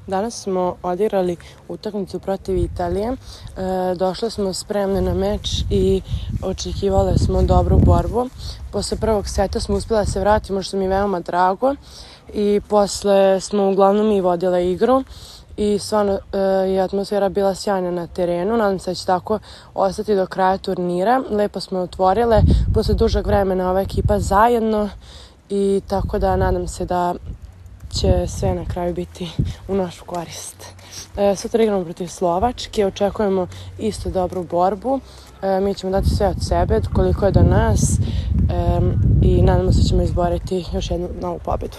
Danas smo odigrali utakmicu protiv Italije. Došle smo spremne na meč i očekivale smo dobru borbu. Posle prvog seta smo uspjela da se vratimo, što mi je veoma drago. I posle smo uglavnom i vodile igru. I stvarno je atmosfera bila sjajna na terenu. Nadam se da će tako ostati do kraja turnira. Lepo smo je otvorile. Posle dužeg vremena ova ekipa zajedno. I tako da nadam se da će sve na kraju biti u našu korist. Sutra igramo protiv Slovačke, očekujemo isto dobru borbu. Mi ćemo dati sve od sebe, koliko je do nas, i nadamo se da ćemo izboriti još jednu novu pobedu.